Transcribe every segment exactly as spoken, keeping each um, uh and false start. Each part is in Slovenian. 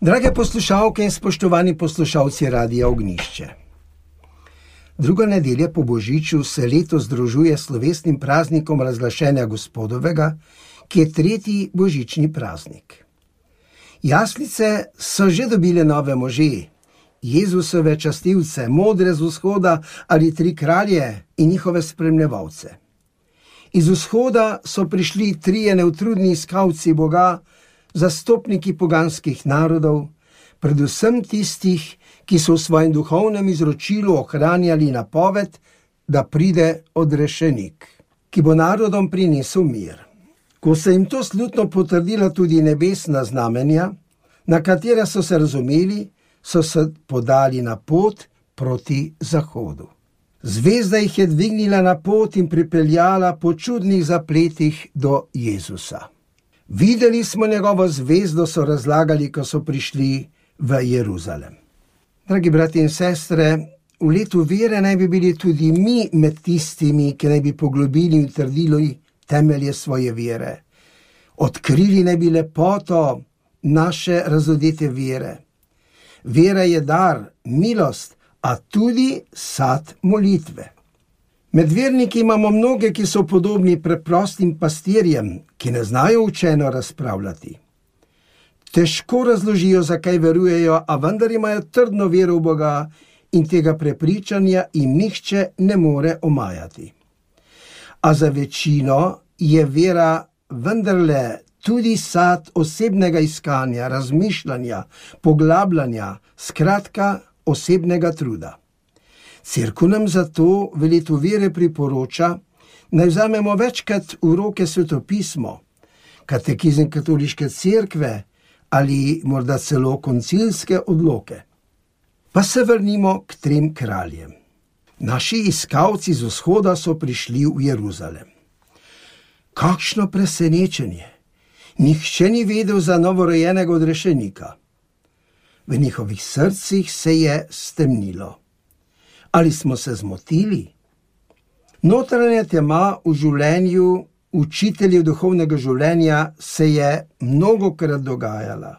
Drage poslušalke in spoštovani poslušalci Radia Ognjišče. Druga nedelja po Božiču se letos združuje s slovesnim praznikom razglašenja Gospodovega, ki je tretji božični praznik. Jaslice so že dobile nove može, Jezusove častilce, modre z vzhoda ali tri kralje in njihove spremljevalce. Iz vzhoda so prišli trije neutrudni iskalci Boga, zastopniki poganskih narodov, predvsem tistih, ki so v svojem duhovnem izročilu ohranjali napoved, da pride odrešenik, ki bo narodom prinesel mir. Ko se jim to slutno potrdila tudi nebesna znamenja, na katera so se razumeli, so se podali na pot proti zahodu. Zvezda jih je dvignila na pot in pripeljala po čudnih zapletih do Jezusa. Videli smo njegovo zvezdo, so razlagali, ko so prišli v Jeruzalem. Dragi brati in sestre, v letu vere naj bi bili tudi mi med tistimi, ki naj bi poglobili in utrdili temelje svoje vere. Odkrili naj bi lepoto naše razodete vere. Vera je dar, milost, a tudi sad molitve. Med verniki imamo mnoge, ki so podobni preprostim pastirjem, ki ne znajo učeno razpravljati. Težko razložijo, zakaj verujejo, a vendar imajo trdno vero v Boga in tega prepričanja jim nihče ne more omajati. A za večino je vera vendarle tudi sad osebnega iskanja, razmišljanja, poglabljanja, skratka osebnega truda. Cerkev nam zato v letu vere priporoča, naj vzamemo večkrat v roke svetopismo, katekizem katoliške cerkve ali morda celo koncilske odloke. Pa se vrnimo k trem kraljem. Naši iskalci z vzhoda so prišli v Jeruzalem. Kakšno presenečenje! Nihče ni vedel za novorojenega odrešenika. V njihovih srcih se je stemnilo. Ali smo se zmotili? Notranja tema v življenju učiteljev duhovnega življenja se je mnogokrat dogajala.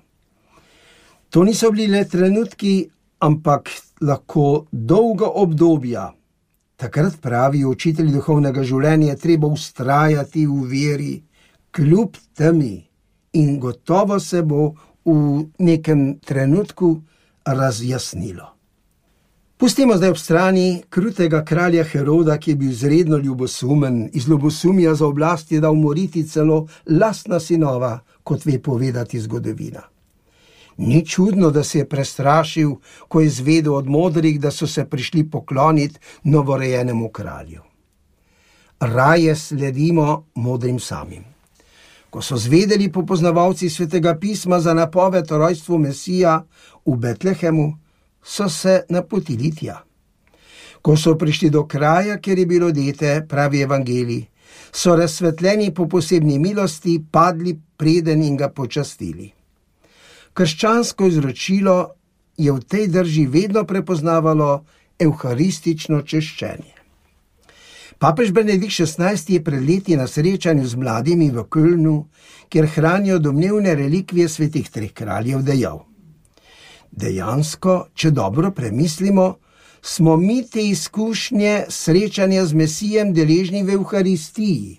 To niso bili le trenutki, ampak lahko dolga obdobja. Takrat pravijo učitelji duhovnega življenja, je treba vztrajati v veri, kljub temi, in gotovo se bo v nekem trenutku razjasnilo. Pustimo zdaj ob strani krutega kralja Heroda, ki je bil izredno ljubosumen, iz ljubosumja za oblast je dal umoriti celo lastna sinova, kot ve povedati zgodovina. Ni čudno, da se je prestrašil, ko je izvedel od modrih, da so se prišli pokloniti novorojenemu kralju. Raje sledimo modrim samim. Ko so zvedeli popoznavalci svetega pisma za napoved o rojstvu Mesija v Betlehemu, so se napotili tja. Ko so prišli do kraja, kjer je bilo dete, pravi evangelij, so razsvetljeni po posebni milosti padli preden in ga počastili. Krščansko izročilo je v tej drži vedno prepoznavalo evharistično češčenje. Papež Benedikt šestnajsti je pred leti na srečanju z mladimi v Kölnu, kjer hranijo domnevne relikvije svetih treh kraljev, dejal: Dejansko, če dobro premislimo, smo mi te izkušnje srečanja z Mesijem deležni v Evharistiji.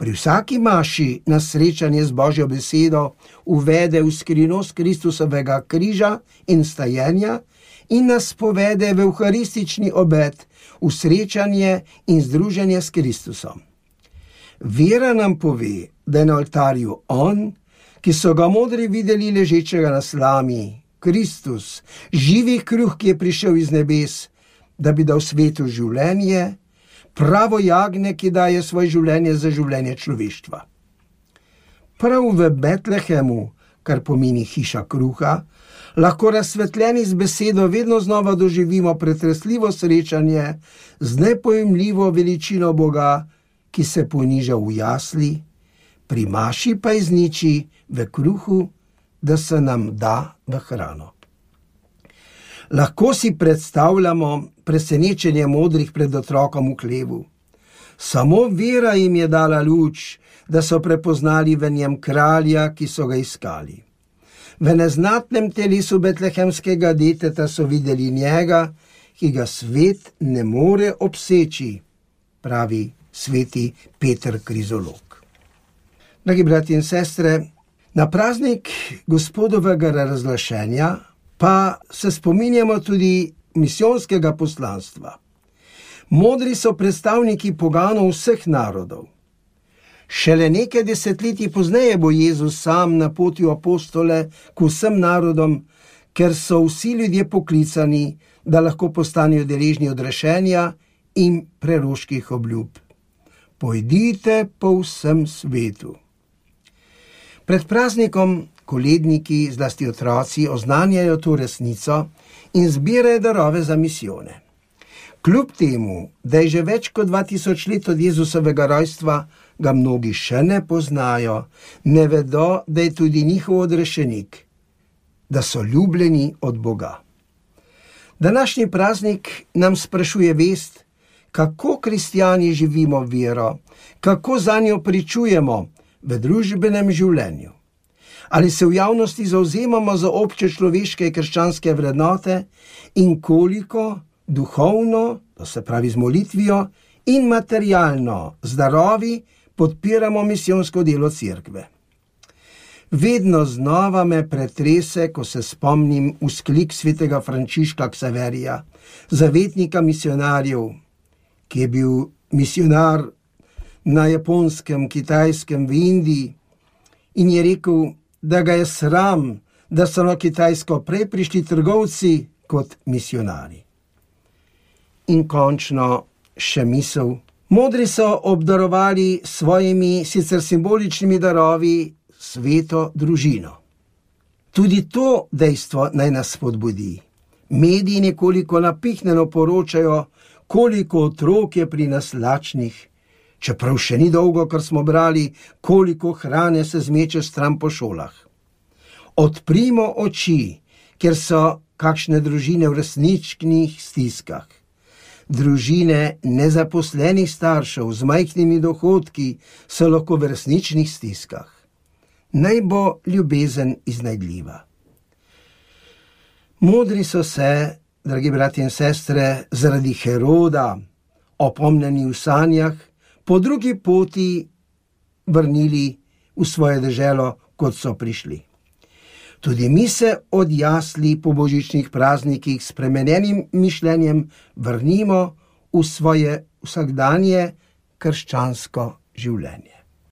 Pri vsaki maši nas srečanje z Božjo besedo uvede v skrivnost Kristusovega križa in stajenja in nas povede v evharistični obed, v srečanje in združenje s Kristusom. Vera nam pove, da je na oltarju on, ki so ga modri videli ležečega na slami, Kristus, živi kruh, ki je prišel iz nebes, da bi dal svetu življenje, pravo jagnje, ki daje svoje življenje za življenje človeštva. Prav v Betlehemu, kar pomeni hiša kruha, lahko razsvetljeni z besedo vedno znova doživimo pretresljivo srečanje z nepojemljivo veličino Boga, ki se poniža v jasli, pri maši pa izniči v kruhu, da se nam da v hrano. Lahko si predstavljamo presenečenje modrih pred otrokom v hlevu. Samo vera jim je dala luč, da so prepoznali v njem kralja, ki so ga iskali. V neznatnem telesu betlehemskega deteta so videli njega, ki ga svet ne more obseči, pravi sveti Peter Krizolog. Dragi bratje in sestre, na praznik Gospodovega razglašenja pa se spominjamo tudi misijonskega poslanstva. Modri so predstavniki poganov vseh narodov. Šele nekaj desetletij pozneje bo Jezus sam napotil apostole k vsem narodom, ker so vsi ljudje poklicani, da lahko postanejo deležni odrešenja in preroških obljub. Pojdite po vsem svetu. Pred praznikom koledniki, zlasti otroci, oznanjajo to resnico in zbirajo darove za misijone. Kljub temu, da je že več kot dva tisoč let od Jezusovega rojstva, ga mnogi še ne poznajo, ne vedo, da je tudi njihov odrešenik, da so ljubljeni od Boga. Današnji praznik nam sprašuje vest, kako kristjani živimo vero, kako zanjo pričujemo v družbenem življenju. Ali se v javnosti zavzemamo za obče človeške krščanske vrednote in koliko duhovno, to se pravi z molitvijo, in materialno, z darovi, podpiramo misijonsko delo cerkve. Vedno znova me pretrese, ko se spomnim vzklik svetega Frančiška Ksaverija, zavetnika misionarjev, ki je bil misionar na Japonskem, Kitajskem, v Indiji, in je rekel, da ga je sram, da so na Kitajsko prej prišli trgovci kot misionari. In končno še misel. Modri so obdarovali svojimi sicer simboličnimi darovi sveto družino. Tudi to dejstvo naj nas spodbudi. Mediji nekoliko napihnjeno poročajo, koliko otrok je pri nas lačnih, čeprav še ni dolgo, kar smo brali, koliko hrane se zmeče stran po šolah. Odprimo oči, ker so kakšne družine v resničnih stiskah. Družine nezaposlenih staršev z majhnimi dohodki so lahko v resničnih stiskah. Naj bo ljubezen iznajdljiva. Modri so se, dragi bratje in sestre, zaradi Heroda, opomnjeni v sanjah, po drugi poti vrnili v svoje deželo, kot so prišli. Tudi mi se od jasli po božičnih praznikih s spremenjenim mišljenjem vrnimo v svoje vsakdanje krščansko življenje.